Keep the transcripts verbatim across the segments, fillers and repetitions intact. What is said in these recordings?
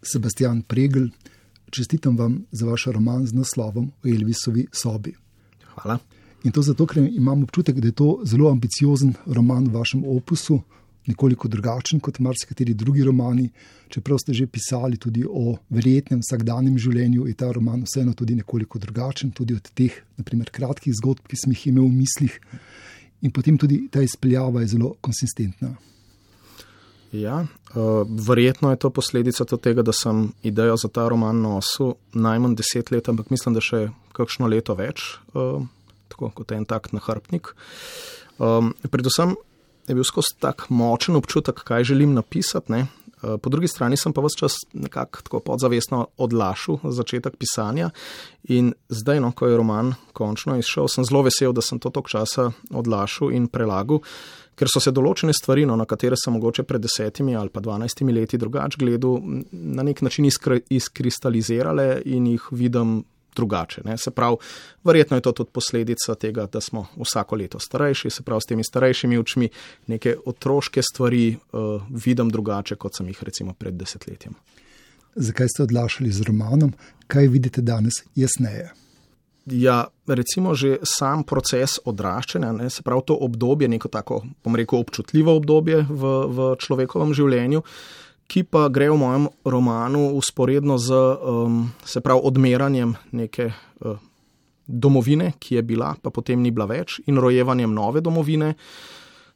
Sebastian Pregl, čestitam vam za vaš roman z naslovom O Elvisovi sobi. Hvala. In to zato, ker imam občutek, da je to zelo ambiciozen roman v vašem opusu, nekoliko drugačen kot marsikateri drugi romani. Čeprav ste že pisali tudi o verjetnem vsakdanjem življenju, je ta roman vseeno tudi nekoliko drugačen, tudi od teh, naprimer, kratkih zgodb, ki sem jih imel v mislih. In potem tudi ta izpeljava je zelo konsistentna. Ja, uh, verjetno je to posledica tega, da sem idejo za ta roman nosil najmanj deset let, ampak mislim, da še kakšno leto več, uh, tako kot en tak nahrbtnik. Um, predvsem je bil skozi tak močen občutek, kaj želim napisati, ne. Uh, po drugi strani sem pa ves čas nekako tako podzavestno odlašal začetek pisanja in zdaj, no, ko je roman končno izšel, sem zelo vesel, da sem to toliko časa odlašal in prelagal, ker so se določene stvari, no, na katere sem mogoče pred desetimi ali pa dvanajstimi leti drugače gledal, na nek način iskri, izkristalizirale in jih vidim drugače. Ne. Se pravi, verjetno je to tudi posledica tega, da smo vsako leto starejši, se pravi, s temi starejšimi očmi neke otroške stvari uh, vidim drugače, kot sem jih recimo pred desetletjem. Zakaj ste odlašali z romanom? Kaj vidite danes jasneje? Ja, recimo že sam proces odraščanja, ne, se pravi to obdobje, neko tako, bom rekel, občutljivo obdobje v, v človekovem življenju, ki pa gre v mojem romanu usporedno z, um, se pravi, odmeranjem neke uh, domovine, ki je bila, pa potem ni bila več, in rojevanjem nove domovine.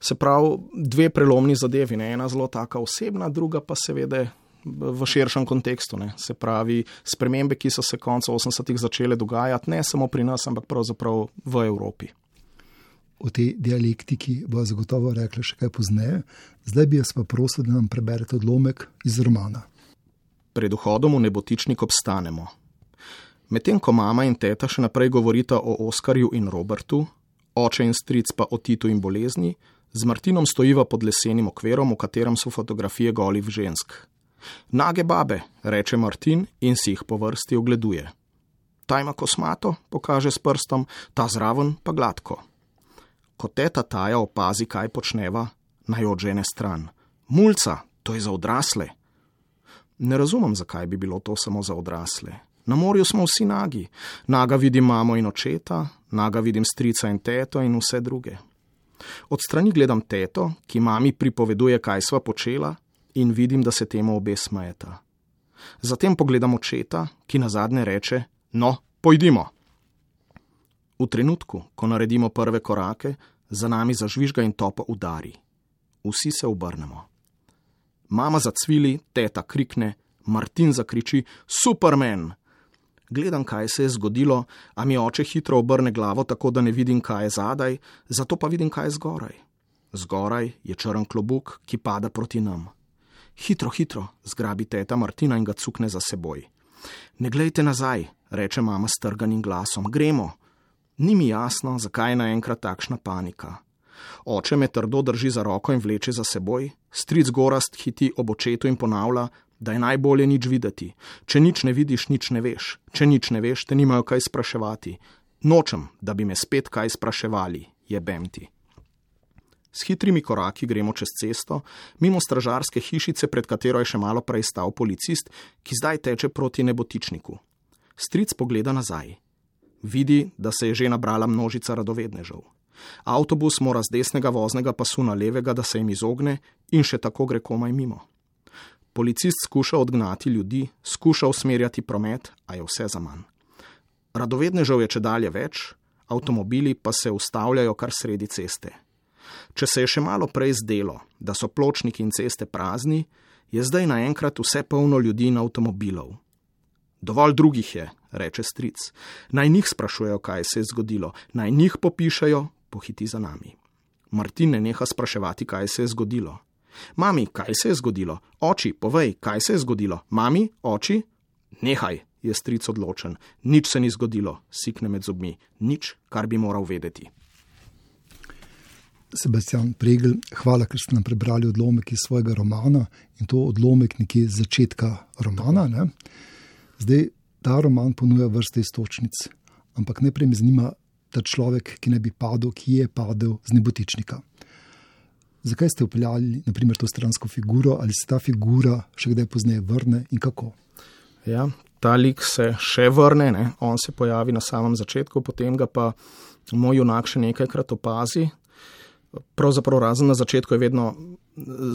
Se pravi, dve prelomni zadevi, ne, ena zelo taka osebna, druga pa seveda v širšem kontekstu, ne. Se pravi, spremembe, ki so se konca osemdesetih začele dogajati, ne samo pri nas, ampak pravzaprav v Evropi. O tej dialektiki bo zagotovo rekla še kaj pozneje. Zdaj bi jaz pa prosil, da nam preberete odlomek iz romana. Pred vhodom v Nebotičnik obstanemo. Medtem ko mama in teta še naprej govorita o Oskarju in Robertu, oče in stric pa o Titu in bolezni, z Martinom stojiva pod lesenim okverom, v katerem so fotografije golih žensk. Nage babe, reče Martin in si jih po vrsti ogleduje. Ta ima kosmato, pokaže s prstom, ta zraven pa gladko. Ko teta Taja opazi, kaj počneva, naj odžene stran. Mulca, to je za odrasle. Ne razumem, zakaj bi bilo to samo za odrasle. Na morju smo vsi nagi. Naga vidim mamo in očeta, naga vidim strica in teto in vse druge. Od strani gledam teto, ki mami pripoveduje, kaj sva počela, in vidim, da se temu obe smejeta. Zatem pogledam očeta, ki nazadnje reče, no, pojdimo. V trenutku, ko naredimo prve korake, za nami zažvižga in topo udari. Vsi se obrnemo. Mama zacvili, teta krikne, Martin zakriči, Superman! Gledam, kaj se je zgodilo, a mi oče hitro obrne glavo, tako da ne vidim, kaj je zadaj, zato pa vidim, kaj je zgoraj. Zgoraj je črn klobuk, ki pada proti nam. Hitro, hitro, zgrabi teta Martina in ga cukne za seboj. Ne glejte nazaj, reče mama s trganim glasom, gremo. Ni mi jasno, zakaj je naenkrat takšna panika. Oče me trdo drži za roko in vleče za seboj, stric Gorazd hiti ob očetu in ponavlja, da je najbolje nič videti. Če nič ne vidiš, nič ne veš. Če nič ne veš, te nimajo kaj spraševati. Nočem, da bi me spet kaj spraševali, jebem ti. S hitrimi koraki gremo čez cesto, mimo stražarske hišice, pred katero je še malo prej stal policist, ki zdaj teče proti Nebotičniku. Stric pogleda nazaj. Vidi, da se je že nabrala množica radovednežev. Avtobus mora z desnega voznega pasu na levega, da se jim izogne, in še tako gre komaj mimo. Policist skuša odgnati ljudi, skuša usmerjati promet, a je vse zaman. Radovednežev je čedalje več, avtomobili pa se ustavljajo kar sredi ceste. Če se je še malo prej zdelo, da so pločniki in ceste prazni, je zdaj naenkrat vse polno ljudi in avtomobilov. Dovolj drugih je, reče stric. Naj njih sprašujejo, kaj se je zgodilo, naj njih popišejo, pohiti za nami. Martin ne neha spraševati, kaj se je zgodilo. Mami, kaj se je zgodilo? Oči, povej, kaj se je zgodilo? Mami, oči? Nehaj, je stric odločen. Nič se ni zgodilo, sikne med zobmi. Nič, kar bi moral vedeti. Sebastian Pregl, hvala, ker ste nam prebrali odlomek iz svojega romana in to odlomek nekje z začetka romana. Ne? Zdaj, ta roman ponuja vrste iztočnic, ampak najprej me zanima ta človek, ki ne bi padel, ki je padel z Nebotičnika. Zakaj ste upeljali naprimer to stransko figuro, ali se ta figura še kdaj pozneje vrne in kako? Ja, ta lik se še vrne, ne? On se pojavi na samem začetku, potem ga pa moj junak še nekajkrat opazi. Pravzaprav razen na začetku je vedno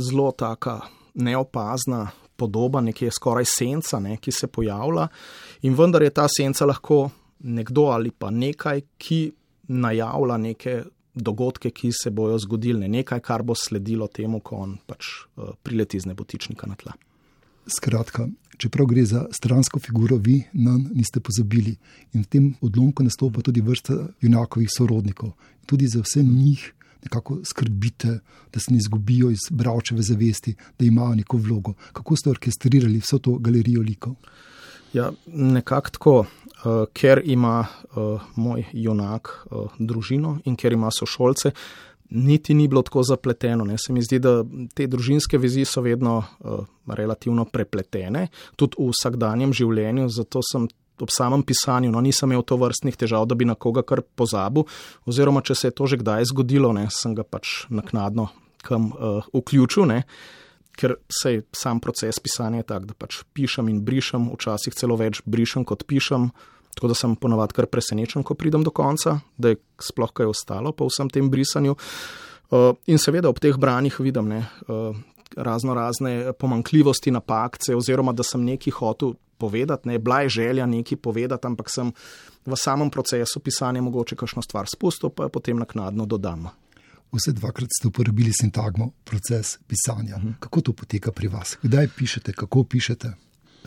zelo taka neopazna podoba, nekje skoraj senca, ne, ki se pojavlja in vendar je ta senca lahko nekdo ali pa nekaj, ki najavlja neke dogodke, ki se bojo zgodili, nekaj, kar bo sledilo temu, ko on pač uh, prileti z nebotičnika na tla. Skratka, čeprav gre za stransko figuro, vi nanj niste pozabili in v tem odlomku nastopa tudi vrsta junakovih sorodnikov. Tudi za vse njih nekako skrbite, da se ne izgubijo iz bralčeve zavesti, da imajo neko vlogo. Kako ste orkestrirali vso to galerijo likov? Ja, nekako tako, uh, ker ima uh, moj junak uh, družino in ker ima sošolce, niti ni bilo tako zapleteno. Ne. Se mi zdi, da te družinske vezi so vedno uh, relativno prepletene, tudi v vsakdanjem življenju, zato sem ob samem pisanju, no, nisem imel to vrstnih težav, da bi na koga kar pozabil, oziroma če se je to že kdaj zgodilo, ne, sem ga pač naknadno kam uh, vključil, ne. Ker sej sam proces pisanja je tak, da pač pišem in brišem, včasih celo več brišem kot pišem, tako da sem ponavadi kar presenečen, ko pridem do konca, da je sploh kaj ostalo po vsem tem brisanju. Uh, in seveda ob teh branjih vidim ne, uh, razno razne pomanjkljivosti, napakce, oziroma da sem nekaj hotel povedati, ne, bila je želja nekaj povedati, ampak sem v samem procesu pisanja mogoče kakšno stvar spustil, pa potem naknadno dodam. Vse dvakrat ste uporabili sintagmo proces pisanja. Kako to poteka pri vas? Kdaj pišete? Kako pišete?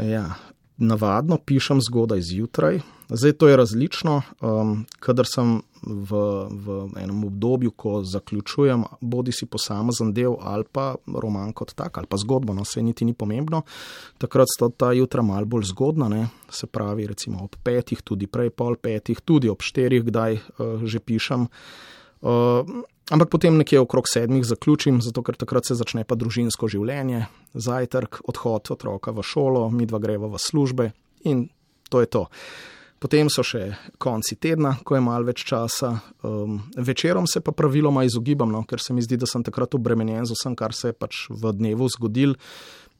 Ja, navadno pišem zgodaj zjutraj. Zdaj to je različno. Um, kadar sem v, v enem obdobju, ko zaključujem bodi si posamezen del ali pa roman kot tak, ali pa zgodbo, no, se niti ni pomembno. Takrat sta ta jutra malo bolj zgodna, ne? Se pravi recimo ob petih, tudi prej pol petih, tudi ob štirih, kdaj uh, že pišem. Uh, Ampak potem nekje okrog sedmih zaključim, zato ker takrat se začne pa družinsko življenje, zajtrk, odhod otroka v šolo, midva greva v službe in to je to. Potem so še konci tedna, ko je malo več časa. Um, večerom se pa praviloma izogibam, no, ker se mi zdi, da sem takrat obremenjen z vsem, kar se je pač v dnevu zgodil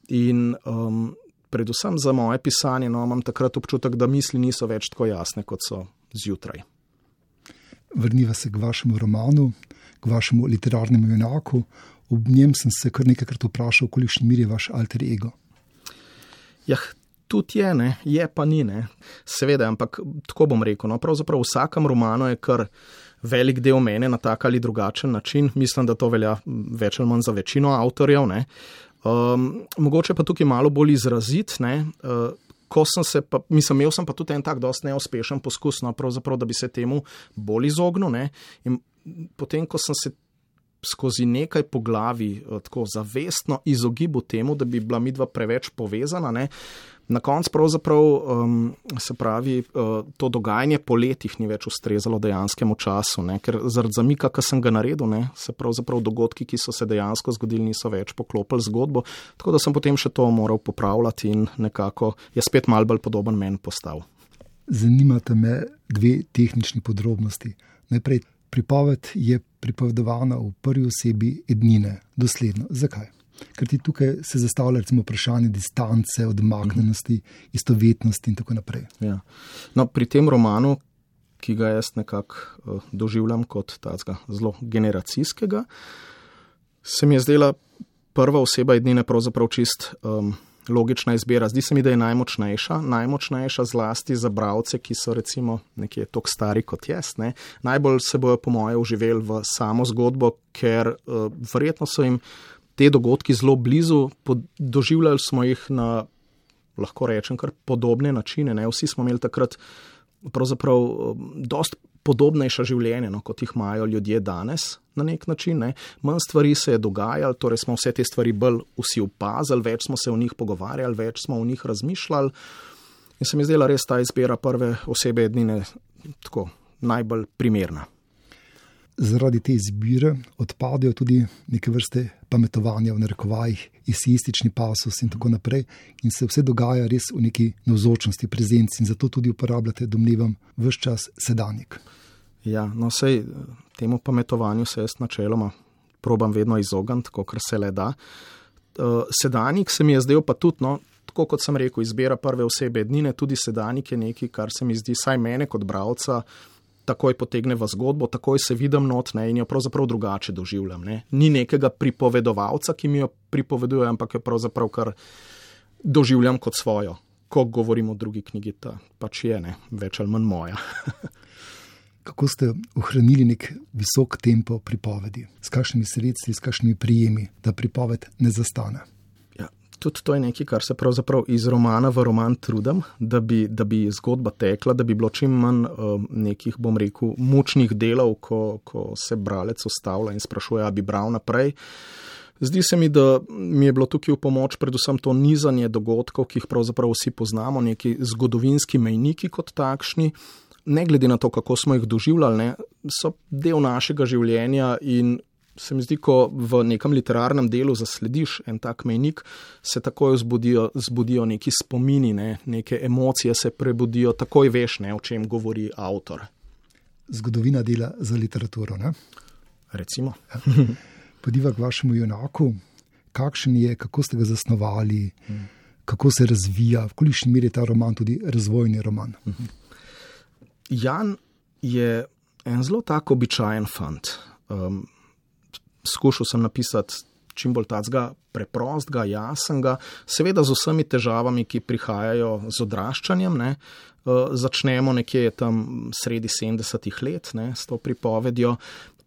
in um, predvsem za moje pisanje, no, imam takrat občutek, da misli niso več tako jasne, kot so zjutraj. Vrniva se k vašemu romanu, k vašemu literarnemu junaku. Ob njem sem se kar nekajkrat vprašal, kolikšni miri je vaš alter ego. Jah, tudi je, ne, je pa ni, ne. Seveda, ampak tako bom rekel, no, pravzaprav v vsakem romanu je kar velik del mene na tak ali drugačen način. Mislim, da to velja več ali manj za večino avtorjev, ne. Um, mogoče pa tukaj malo bolj izrazit, ne. Uh, Ko sem se pa, mislim, imel sem pa tudi en tak dosti neuspešen poskus, no, pravzaprav, da bi se temu bolj izognil, ne, in potem, ko sem se skozi nekaj poglavij tako zavestno izogibal temu, da bi bila midva preveč povezana, ne, na koncu pravzaprav, um, se pravi, uh, to dogajanje po letih ni več ustrezalo dejanskemu času, ne, ker zaradi zamika, ki sem ga naredil, ne, se pravzaprav dogodki, ki so se dejansko zgodili, niso več poklopili zgodbo, tako da sem potem še to moral popravljati in nekako je spet malo bolj podoben meni postal. Zanimate me dve tehnični podrobnosti. Najprej, pripoved je pripovedovana v prvi osebi ednine, dosledno. Zakaj? Ker ti tukaj se zastavlja recimo vprašanje distance, odmaknjenosti, istovetnosti in tako naprej. Ja. No, pri tem romanu, ki ga jaz nekako uh, doživljam kot tacga zelo generacijskega, se mi je zdela prva oseba ednine pravzaprav čist um, logična izbira. Zdi se mi, da je najmočnejša, najmočnejša zlasti za bralce, ki so recimo nekje toliko stari kot jaz. Ne? Najbolj se bojo po moje uživeli v samo zgodbo, ker uh, verjetno so jim te dogodki zelo blizu, doživljali smo jih na, lahko rečem, kar podobne načine. Ne? Vsi smo imeli takrat pravzaprav dost podobnejša življenja, no, kot jih imajo ljudje danes na nek način. Ne? Manj stvari se je dogajalo, torej smo vse te stvari bolj vsi opazili, več smo se o njih pogovarjali, več smo o njih razmišljali. In se mi je zdela res ta izbira prve osebe ednine tako najbolj primerna. Zaradi te izbire odpadejo tudi neke vrste pametovanja v narekovajih, eseistični pasus in tako naprej in se vse dogaja res v neki navzočnosti, prezenci in zato tudi uporabljate, domnevam, ves čas sedanjik. Ja, no sej temu pametovanju se jaz načeloma probam vedno izogniti, kolikor se le da. Sedanjik se mi je zdel pa tudi, no, tako kot sem rekel, izbira prve osebe ednine, tudi sedanjik je nekaj, kar se mi zdi, saj mene kot bralca, takoj potegne v zgodbo, takoj se vidim not, ne, in jo pravzaprav drugače doživljam. Ne. Ni nekega pripovedovalca, ki mi jo pripoveduje, ampak jo pravzaprav kar doživljam kot svojo. Ko govorim o drugi knjigi, ta pač je, ne, več ali manj moja. Kako ste ohranili nek visok tempo pripovedi? S kakšnimi sredstvi, s kakšnimi prijemi, da pripoved ne zastane? Ja, tudi to je nekaj, kar se pravzaprav iz romana v roman trudim, da bi, da bi zgodba tekla, da bi bilo čim manj uh, nekih, bom rekel, mučnih delov, ko, ko se bralec ustavlja in sprašuje, a bi bral naprej. Zdi se mi, da mi je bilo tukaj v pomoč predvsem to nizanje dogodkov, ki jih pravzaprav vsi poznamo, neki zgodovinski mejniki kot takšni, ne glede na to, kako smo jih doživljali, ne, so del našega življenja in se mi zdi, ko v nekem literarnem delu zaslediš en tak mejnik, se takoj zbudijo, zbudijo neki spomini, ne, neke emocije se prebudijo, takoj veš, ne, o čem govori avtor. Zgodovina dela za literaturo, ne? Recimo. Podiva k vašemu junaku, kakšen je, kako ste ga zasnovali, hmm. kako se razvija, v kolikšni meri je ta roman tudi razvojni roman? Hmm. Jan je en zelo tak običajen fant. Um, skušal sem napisati čim bolj tacga preprostega, jasnega, seveda z vsemi težavami, ki prihajajo z odraščanjem. Ne. Uh, začnemo nekje tam sredi sedemdesetih let, ne, s to pripovedjo,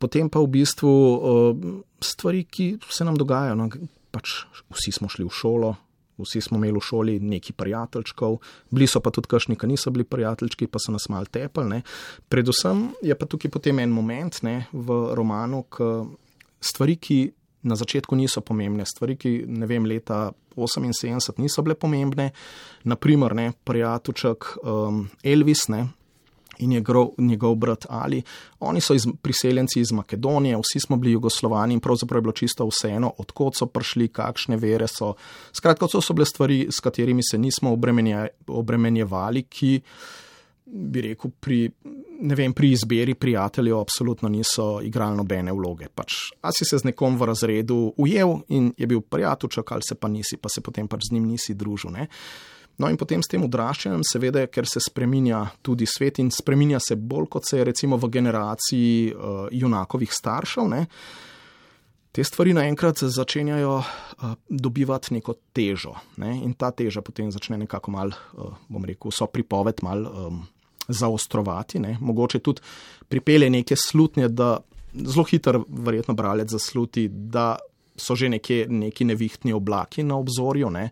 potem pa v bistvu uh, stvari, ki se nam dogajajo. No, pač vsi smo šli v šolo, vsi smo imeli v šoli neki prijateljčkov, bili so pa tudi kakšni, ki niso bili prijateljčki, pa so nas malo tepali. Ne. Predvsem je pa tukaj potem en moment, ne, v romanu, k stvari, ki na začetku niso pomembne, stvari, ki, ne vem, leta oseminsedemdeset niso bile pomembne, naprimer, ne, prijateljček um, Elvis, ne, in njegov, njegov brat Ali. Oni so iz, priseljenci iz Makedonije, vsi smo bili Jugoslovani in pravzaprav je bilo čisto vseeno, odkot so prišli, kakšne vere so. Skratka, to so bile stvari, s katerimi se nismo obremenje, obremenjevali, ki, bi rekel, pri, ne vem, pri izbiri prijateljev absolutno niso igrali nobene vloge. Pač, a si se z nekom v razredu ujel in je bil prijateljček, ali se pa nisi, pa se potem pač z njim nisi družil, ne. No in potem s tem odraščanjem, seveda, ker se spreminja tudi svet in spreminja se bolj, kot se je recimo v generaciji uh, junakovih staršev, ne, te stvari naenkrat začenjajo uh, dobivati neko težo, ne, in ta teža potem začne nekako mal, uh, bom rekel, so pripoved mal um, zaostrovati, ne, mogoče tudi pripelje neke slutnje, da zelo hitro verjetno bralec zasluti, da so že nekje neki nevihtni oblaki na obzorju, ne.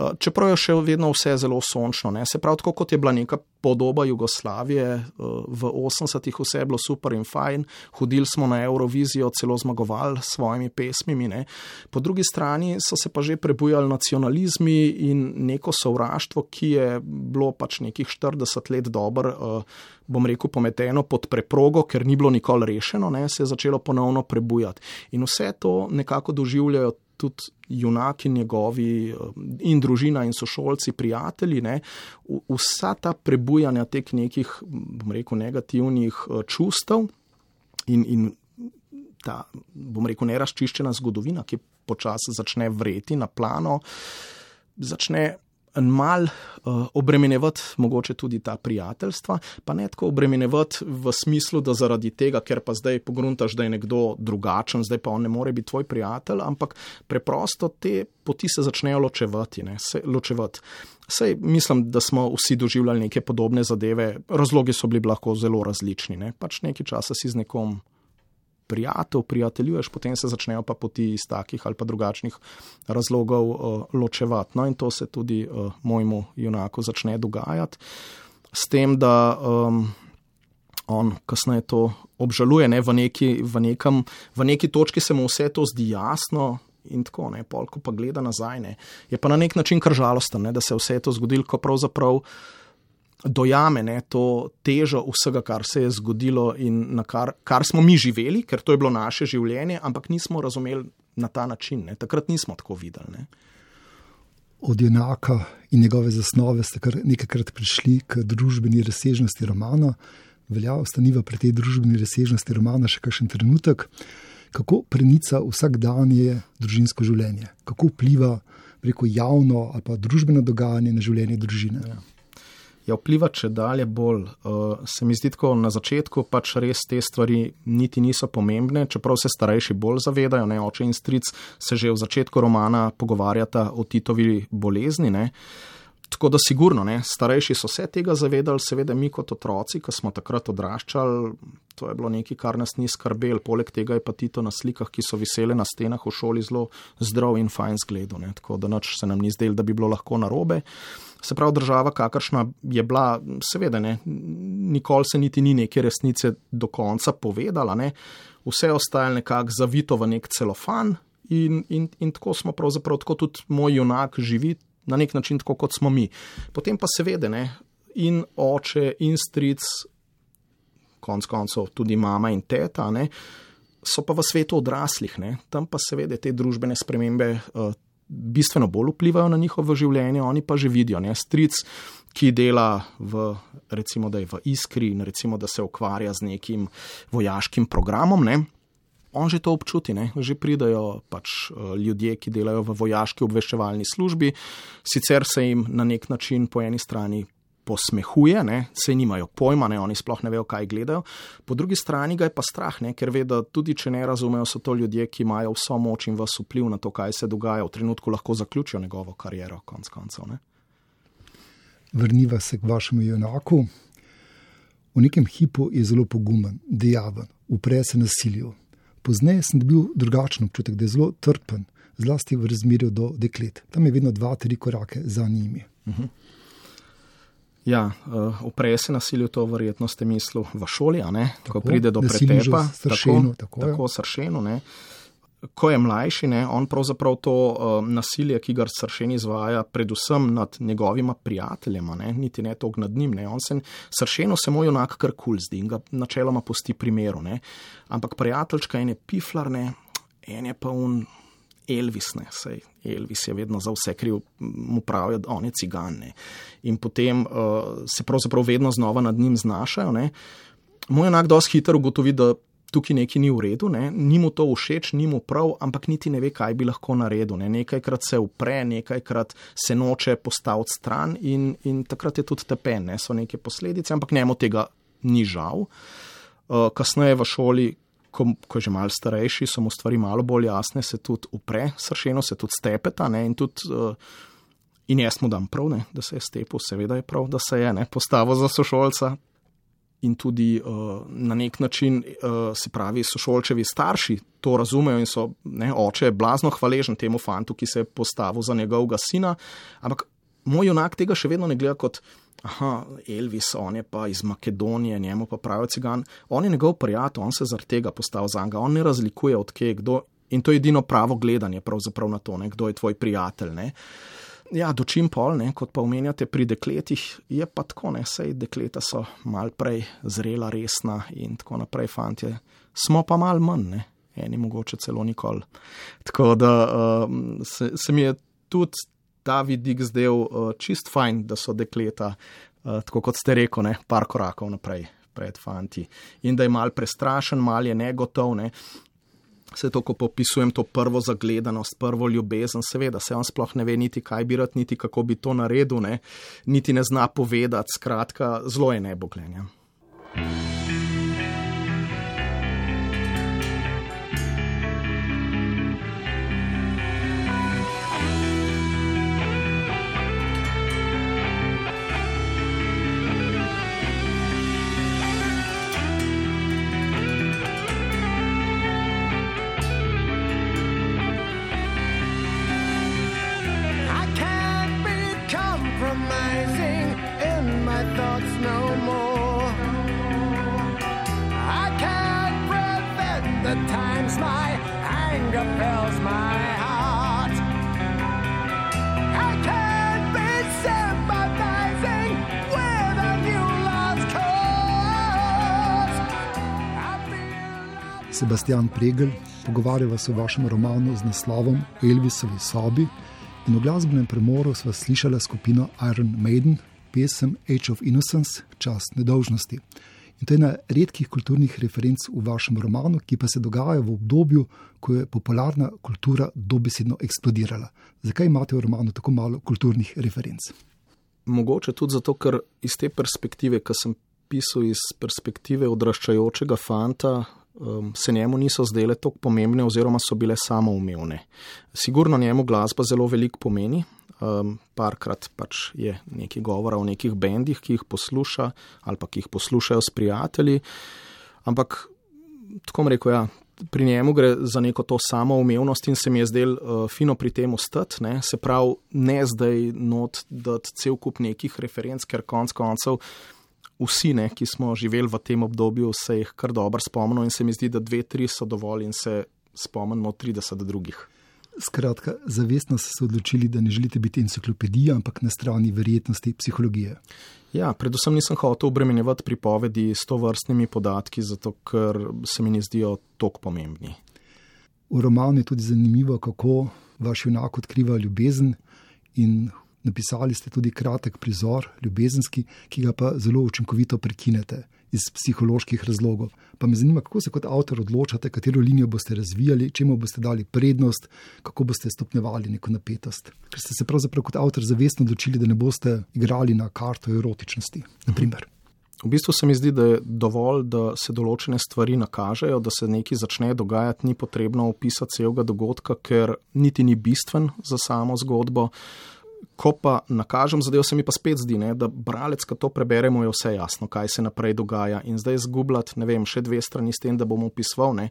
Čeprav je še vedno vse zelo sončno, ne. Se pravi, tako kot je bila neka podoba Jugoslavije v osemdesetih, vse je bilo super in fajn, hodili smo na Eurovizijo, celo zmagovali s svojimi pesmimi, ne. Po drugi strani so se pa že prebujali nacionalizmi in neko sovraštvo, ki je bilo pač nekih štirideset let dobro, bom rekel, pometeno pod preprogo, ker ni bilo nikoli rešeno, ne, se je začelo ponovno prebujati. In vse to nekako doživljajo tudi junaki njegovi in družina in sošolci, prijatelji, ne, vsa ta prebujanja teh nekih, bom rekel, negativnih čustev in, in ta, bom rekel, nerazčiščena zgodovina, ki počasi začne vreti na plano, začne mal uh, obremenjevati mogoče tudi ta prijateljstva, pa ne tako obremenjevati v smislu, da zaradi tega, ker pa zdaj pogruntaš, da je nekdo drugačen, zdaj pa on ne more biti tvoj prijatelj, ampak preprosto te poti se začnejo ločevati, ne, se ločevati. Sej mislim, da smo vsi doživljali neke podobne zadeve, razlogi so bili lahko zelo različni, ne, pač nekaj časa si z nekom prijatelj, prijateljuješ, potem se začnejo pa poti iz takih ali pa drugačnih razlogov uh, ločevati. No in to se tudi uh, mojemu junaku začne dogajati. S tem, da um, on kasneje to obžaluje, ne, v neki, v nekem, v neki točki se mu vse to zdi jasno in tako, ne, pol, ko pa gleda nazaj, ne, je pa na nek način kar žalosten, ne, da se vse to zgodilo, ko pravzaprav dojame, ne, to težo vsega, kar se je zgodilo in na kar, kar smo mi živeli, ker to je bilo naše življenje, ampak nismo razumeli na ta način, ne. Takrat nismo tako videli, ne. Od junaka in njegove zasnove ste kar nekajkrat prišli k družbeni razsežnosti romana. Velja ostaniva pri tej družbeni razsežnosti romana še kakšen trenutek. Kako prenica vsakdanje družinsko življenje? Kako vpliva preko javno ali pa družbeno dogajanje na življenje družine? Ja. Ja, vpliva če dalje bolj. Uh, se mi zdi tako na začetku pač res te stvari niti niso pomembne, čeprav se starejši bolj zavedajo, ne, oče in stric se že v začetku romana pogovarjata o Titovi bolezni, ne. Tako da sigurno, ne, starejši so se tega zavedali, seveda mi kot otroci, ko smo takrat odraščali, to je bilo nekaj, kar nas ni skrbel. Poleg tega je pa Tito na slikah, ki so visele na stenah v šoli, zelo zdrav in fajn zgledu, ne, tako da nič se nam ni zdelo, da bi bilo lahko narobe. Se pravi, država, kakršna je bila, seveda ne, nikoli se niti ni neke resnice do konca povedala, ne, vse ostalo nekako zavito v nek celofan in, in, in tako smo pravzaprav, tako tudi moj junak živi, na nek način tako, kot smo mi. Potem pa seveda, ne, in oče, in stric, konc koncev tudi mama in teta, ne, so pa v svetu odraslih, ne, tam pa seveda te družbene spremembe uh, bistveno bolj vplivajo na njihovo življenje, oni pa že vidijo, ne, stric, ki dela v, recimo, da je v Iskri in recimo, da se ukvarja z nekim vojaškim programom, ne, on že to občuti, ne, že pridajo pač ljudje, ki delajo v vojaški obveščevalni službi, sicer se jim na nek način po eni strani posmehuje, ne, se nimajo pojma, ne, oni sploh ne vejo, kaj gledajo, po drugi strani ga je pa strah, ne, ker ve, da tudi če ne razumejo, so to ljudje, ki imajo vso moč in vas vpliv na to, kaj se dogaja, v trenutku lahko zaključijo njegovo kariero, konc koncev, ne. Vrniva se k vašemu junaku. V nekem hipu je zelo pogumen, dejaven, upre se nasilju. Pozneje sem dobil drugačen občutek, da je zelo trpen, zlasti v razmerju do deklet. Tam je vedno dva, tri korake za njimi. Uh-huh. Ja, uh, upre se nasilju, to verjetno ste mislil v šoli, a ne? Tako, ko pride do pretepa. Sršenu, tako, tako, tako sršenu, ne? Ko je mlajši, ne, on pravzaprav to uh, nasilje, ki ga Sršen izvaja, predvsem nad njegovima prijateljema, ne, niti ne toliko nad njim, ne, on se, Sršenu se moj junak kar kul zdi in ga načeloma pusti primeru, ne, ampak prijateljčka en je piflar, ne, en je pa un Elvis, ne, sej Elvis je vedno za vse kriv, mu pravijo, on je cigan, ne, in potem uh, se pravzaprav vedno znova nad njim znašajo, ne, moj junak dosti hitro ugotovi, da tukaj nekaj ni v redu, ne? Ni mu to všeč, ni mu prav, ampak niti ne ve, kaj bi lahko naredil. Ne? Nekajkrat se upre, nekajkrat se noče postaviti stran in, in takrat je tudi tepen, ne? So neke posledice, ampak njemu tega ni žal. Uh, kasneje v šoli, ko, ko je že malo starejši, so mu stvari malo bolj jasne, se tudi upre, Sršeno se tudi stepeta, ne? In tudi uh, in jaz mu dam prav, ne? Da se je stepil, seveda je prav, da se je, ne? Postavil za sošolca. In tudi uh, na nek način, uh, se pravi, sošolčevi starši to razumejo in so, ne, oče je blazno hvaležen temu fantu, ki se je postavil za njegovega sina, ampak moj junak tega še vedno ne gleda kot, aha, Elvis, on je pa iz Makedonije, njemu pa pravijo cigan, on je njegov prijatelj, on se zaradi tega postavil za njega, on ne razlikuje od kje, kdo, in to je edino pravo gledanje pravzaprav na to, ne, kdo je tvoj prijatelj, ne. Ja, dočim pol, ne, kot pa omenjate pri dekletih, je pa tako, ne, sej dekleta so mal prej zrela, resna in tako naprej, fantje, smo pa mal manj, ne, eni mogoče celo nikoli. Tako da um, se, se mi je tudi ta vidik zdel uh, čist fajn, da so dekleta, uh, tako kot ste rekel, ne, par korakov naprej pred fanti in da je mal prestrašen, mal je negotov, ne. Se to, ko popisujem to prvo zagledanost, prvo ljubezen, seveda se on sploh ne ve niti kaj bi rad, niti kako bi to naredil, ne, niti ne zna povedati, skratka, zelo je neboglenja. Sebastian Pregl, pogovarjava se o vašem romanu z naslovom Elvisovi sobi in v glasbenem premoru sva slišala skupino Iron Maiden, pesem Age of Innocence, čas nedolžnosti. In to je ena redkih kulturnih referenc v vašem romanu, ki pa se dogaja v obdobju, ko je popularna kultura dobesedno eksplodirala. Zakaj imate v romanu tako malo kulturnih referenc? Mogoče tudi zato, ker iz te perspektive, ko sem pisal iz perspektive odraščajočega fanta, um, se njemu niso zdele toliko pomembne oziroma so bile samoumevne. Sigurno njemu glasba zelo veliko pomeni. Um, parkrat pač je nekaj govora o nekih bendih, ki jih posluša ali pa ki jih poslušajo s prijatelji, ampak tako bom rekel, ja, pri njemu gre za neko to samoumevnost in se mi je zdel uh, fino pri tem ostati, ne, se pravi ne zdaj not dati cel kup nekih referenc, ker konc koncev vsi, ne, ki smo živeli v tem obdobju, se jih kar dobro spomnimo in se mi zdi, da dve, tri so dovolj in se spomnimo trideset drugih. Skratka, zavestno ste se odločili, da ne želite biti enciklopedija, ampak na strani verjetnosti psihologije. Ja, predvsem nisem hotel obremenjevati pripovedi s tovrstnimi podatki, zato ker se mi ne zdijo toliko pomembni. V romanu je tudi zanimivo, kako vaš junak odkriva ljubezen in napisali ste tudi kratek prizor ljubezenski, ki ga pa zelo učinkovito prekinete iz psiholoških razlogov. Pa me zanima, kako se kot avtor odločate, katero linijo boste razvijali, čemu boste dali prednost, kako boste stopnjevali neko napetost. Ker ste se pravzaprav kot avtor zavestno odločili, da ne boste igrali na karto erotičnosti, na primer. V bistvu se mi zdi, da je dovolj, da se določene stvari nakažejo, da se nekaj začne dogajati, ni potrebno opisati celega dogodka, ker niti ni bistven za samo zgodbo. Ko pa nakažem zadev, se mi pa spet zdi, ne, da bralec, ko to preberemo, je vse jasno, kaj se naprej dogaja. In zdaj zgubljati, ne vem, še dve strani s tem, da bom opisoval, ne,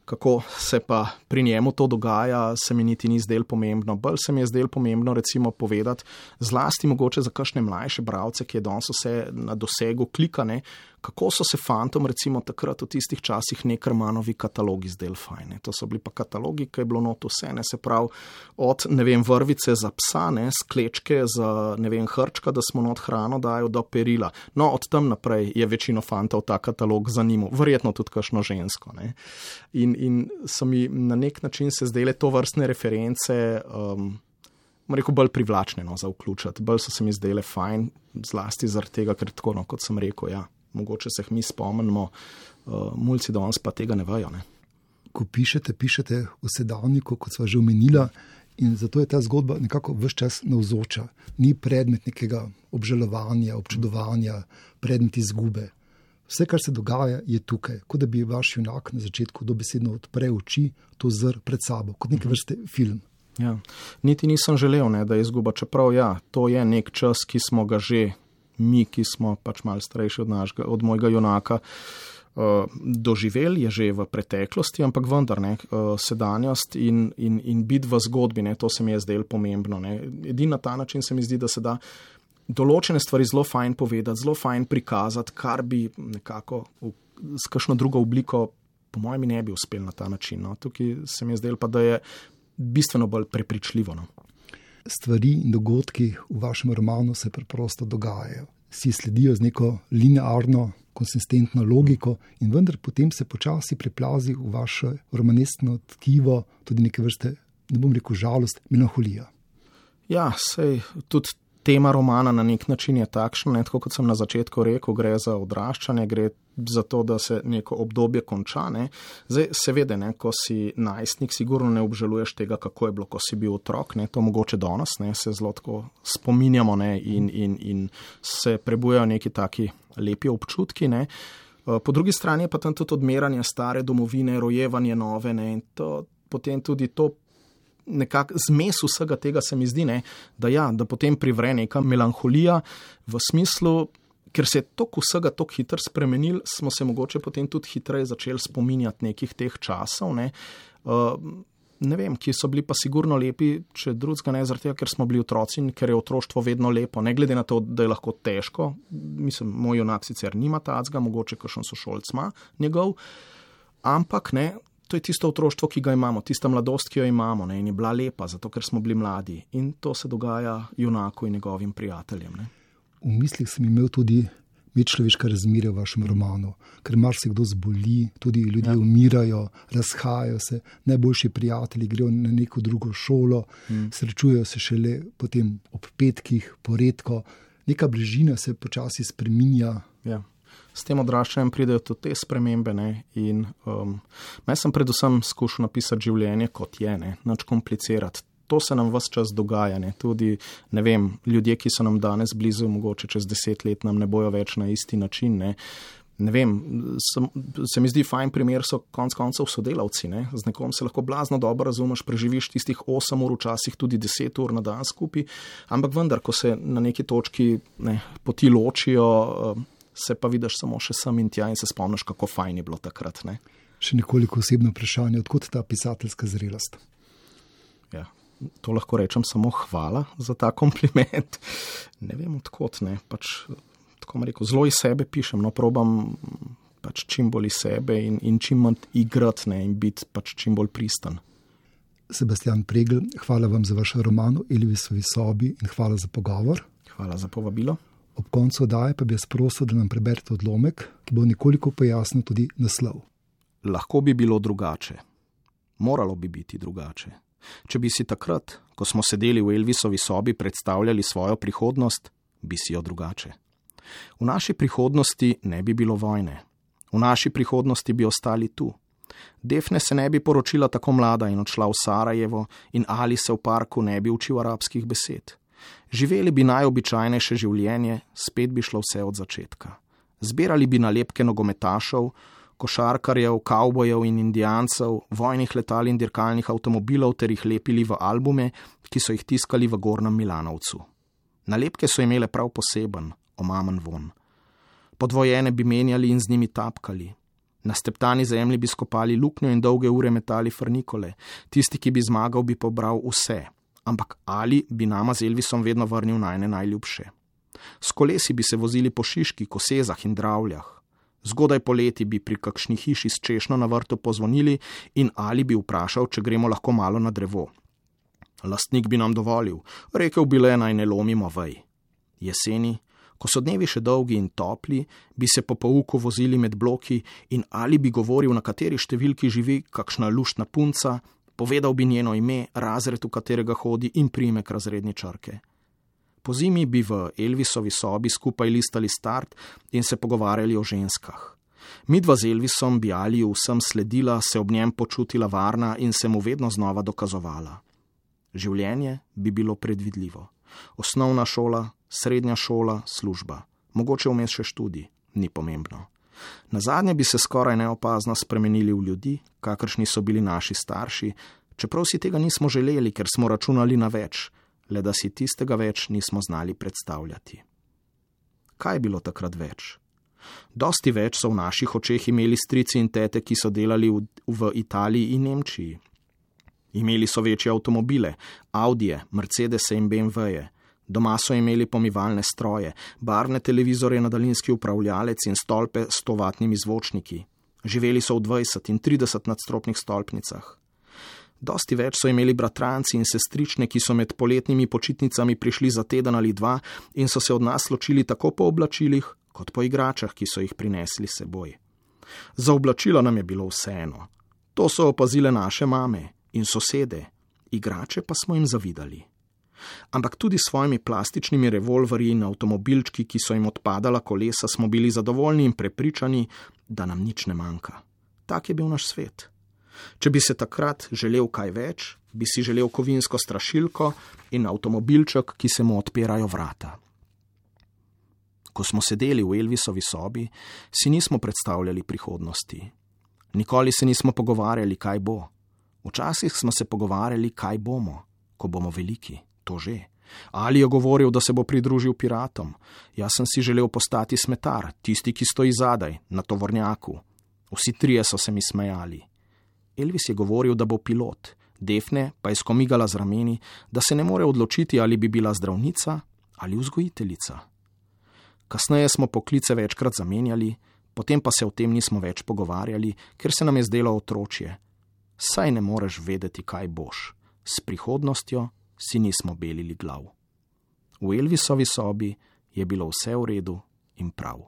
kako se pa pri njemu to dogaja, se mi niti ni zdel pomembno. Bolj se mi je zdel pomembno recimo povedati, zlasti mogoče za kakšne mlajše bralce, ki je danes vse na dosegu klika, ne, kako so se fantom recimo takrat v tistih časih Neckermannovi katalogi zdel fajne. To so bili pa katalogi, ki je bilo not vse, ne, se pravi od, ne vem, vrvice za psa, ne, sklečke za, ne vem, hrčka, da smo not hrano dajo do perila. No, od tam naprej je večino fantov ta katalog zanimal, verjetno tudi kakšno žensko, ne. In, in so mi na nek način se zdele to vrstne reference, um, rekel, bolj privlačne, no, za vključiti. Bolj so se mi zdele fajn, zlasti zaradi tega, ker tako, no, kot sem rekel, ja, mogoče se jih mi spomnimo, uh, mulci danes pa tega ne vejo, ne. Ko pišete, pišete v sedavniku, kot sva že omenila, in zato je ta zgodba nekako ves čas navzoča. Ni predmet nekega obžalovanja, občudovanja, predmet izgube. Vse, kar se dogaja, je tukaj. Kot da bi vaš junak na začetku dobesedno odpre oči, to zr pred sabo, kot neke vrste film. Ja. Niti nisem želel, ne, da je izguba, čeprav ja, to je nek čas, ki smo ga že mi, ki smo pač malo starejši od, našega, od mojega junaka, uh, doživeli, je že v preteklosti, ampak vendar ne, uh, sedanjost in, in, in biti v zgodbi, ne, to se mi je zdelo pomembno. Ne. Edini na ta način se mi zdi, da se da določene stvari zelo fajn povedati, zelo fajn prikazati, kar bi nekako v, s kakšno drugo obliko, po mojem, ne bi uspel na ta način. No. Tukaj se mi je zdelo pa, da je bistveno bolj prepričljivo. No. Stvari in dogodki v vašem romanu se preprosto dogajajo. Si sledijo z neko linearno, konsistentno logiko in vendar potem se počasi preplazi v vaše romaneskno tkivo tudi neke vrste, ne bom rekel žalost, melanholija. Ja, sej tudi tema romana na nek način je takšna, ne, tako kot sem na začetku rekel, gre za odraščanje, gre za to, da se neko obdobje konča. Ne. Zdaj, seveda, ne, ko si najstnik, sigurno ne obžaluješ tega, kako je bilo, ko si bil otrok, ne, to mogoče danes, ne, se zelo tako spominjamo, ne, in, in, in se prebujajo neki taki lepi občutki, ne. Po drugi strani je pa tam tudi odmeranje stare domovine, rojevanje nove, ne, in to, potem tudi to nekako zmes vsega tega se mi zdi, ne, da ja, da potem privre neka melanholija v smislu, ker se je toliko vsega toliko hitro spremenil, smo se mogoče potem tudi hitreje začeli spominjati nekih teh časov, ne, uh, ne vem, ki so bili pa sigurno lepi, če drugega ne, zaradi tega, ker smo bili otroci in ker je otroštvo vedno lepo, ne glede na to, da je lahko težko, mislim, moj junak sicer nima tacga, mogoče kakšen sošolc ima njegov, ampak ne, to je tisto otroštvo, ki ga imamo, tista mladost, ki jo imamo, ne, in je bila lepa, zato ker smo bili mladi. In to se dogaja junaku in njegovim prijateljem. Ne. V mislih sem imel tudi medčloveška razmerja v vašem romanu, ker marsikdo zboli, tudi ljudje ja. umirajo, razhajajo se, najboljši prijatelji grejo na neko drugo šolo, hmm. srečujejo se šele potem ob petkih, poredko. Neka bližina se počasi spreminja. Ja. S tem odraščanjem pridejo tudi te spremembe, ne, in um, jaz sem predvsem skušal napisati življenje, kot je, ne, nič komplicirati. To se nam ves čas dogaja, ne, tudi, ne vem, ljudje, ki so nam danes blizu, mogoče čez deset let nam ne bojo več na isti način, ne. Ne vem, sem, se mi zdi fajn primer so konc koncev sodelavci, ne. Z nekom se lahko blazno dobro razumeš, preživiš tistih osem ur, včasih tudi deset ur na dan skupaj, ampak vendar, ko se na neki točki, ne, poti ločijo, se pa vidiš samo še sem in tja in se spomniš, kako fajn je bilo takrat, ne. Še nekoliko osebno vprašanje, odkot ta pisateljska zrelost? Ja, to lahko rečem samo hvala za ta kompliment. Ne vem, odkot, ne, pač... Tako mi rekel, zelo iz sebe pišem, no, probam pač čim bolj iz sebe in, in čim manj igrati, ne, in biti pač čim bolj pristan. Sebastian Pregl, hvala vam za vaš roman o Elvisovi sobi in hvala za pogovor. Hvala za povabilo. Ob koncu oddaje pa bi jaz prosil, da nam preberete odlomek, ki bo nekoliko pojasnil tudi naslov. Lahko bi bilo drugače. Moralo bi biti drugače. Če bi si takrat, ko smo sedeli v Elvisovi sobi, predstavljali svojo prihodnost, bi si jo drugače. V naši prihodnosti ne bi bilo vojne. V naši prihodnosti bi ostali tu. Defne se ne bi poročila tako mlada in odšla v Sarajevo in Ali se v parku ne bi učil arabskih besed. Živeli bi najobičajnejše življenje, spet bi šlo vse od začetka. Zbirali bi nalepke nogometašev, košarkarjev, kavbojev in indijancev, vojnih letal in dirkalnih avtomobilov ter jih lepili v albume, ki so jih tiskali v Gornjem Milanovcu. Nalepke so imele prav poseben, omamen von. Podvojene bi menjali in z njimi tapkali. Na steptani zemlji bi skopali luknjo in dolge ure metali frnikole. Tisti, ki bi zmagal, bi pobral vse. Ampak Ali bi nama z Elvisom vedno vrnil najne najljubše. S kolesi bi se vozili po Šiški, Kosezah in Dravljah. Zgodaj poleti bi pri kakšni hiši s češnjo na vrtu pozvonili in Ali bi vprašal, če gremo lahko malo na drevo. Lastnik bi nam dovolil, rekel bi le, naj ne lomimo vej. Jeseni, ko so dnevi še dolgi in topli, bi se po pouku vozili med bloki in Ali bi govoril, na kateri številki živi kakšna luštna punca, povedal bi njeno ime, razred, v katerega hodi in priimek razredničarke. Po zimi bi v Elvisovi sobi skupaj listali Start in se pogovarjali o ženskah. Midva z Elvisom bi Aliju vsem sledila, se ob njem počutila varna in se mu vedno znova dokazovala. Življenje bi bilo predvidljivo. Osnovna šola, srednja šola, služba. Mogoče vmes še študij, ni pomembno. Nazadnje bi se skoraj neopazno spremenili v ljudi, kakršni so bili naši starši, čeprav si tega nismo želeli, ker smo računali na več, le da si tistega več nismo znali predstavljati. Kaj je bilo takrat več? Dosti več so v naših očeh imeli strici in tete, ki so delali v, v Italiji in Nemčiji. Imeli so večje avtomobile, Audije, Mercedese in B M W-je. Doma so imeli pomivalne stroje, barvne televizorje na daljinski upravljalec in stolpe s stovatnimi zvočniki. Živeli so v dvajset in trideset nadstropnih stolpnicah. Dosti več so imeli bratranci in sestrične, ki so med poletnimi počitnicami prišli za teden ali dva in so se od nas ločili tako po oblačilih, kot po igračah, ki so jih prinesli seboj. Za oblačila nam je bilo vseeno. To so opazile naše mame in sosede, igrače pa smo jim zavidali. Ampak tudi s svojimi plastičnimi revolverji in avtomobilčki, ki so jim odpadala kolesa, smo bili zadovoljni in prepričani, da nam nič ne manjka. Tak je bil naš svet. Če bi se takrat želel kaj več, bi si želel kovinsko strašilko in avtomobilček, ki se mu odpirajo vrata. Ko smo sedeli v Elvisovi sobi, si nismo predstavljali prihodnosti. Nikoli se nismo pogovarjali, kaj bo. Včasih smo se pogovarjali, kaj bomo, ko bomo veliki. To že. Ali je govoril, da se bo pridružil piratom. Jaz sem si želel postati smetar, tisti, ki stoji zadaj, na tovornjaku. Vsi trije so se mi smejali. Elvis je govoril, da bo pilot. Defne pa je skomigala z rameni, da se ne more odločiti, ali bi bila zdravnica ali vzgojiteljica. Kasneje smo poklice večkrat zamenjali, potem pa se o tem nismo več pogovarjali, ker se nam je zdelo otročje. Saj ne moreš vedeti, kaj boš. S prihodnostjo si nismo belili glav. V Elvisovi sobi je bilo vse v redu in prav.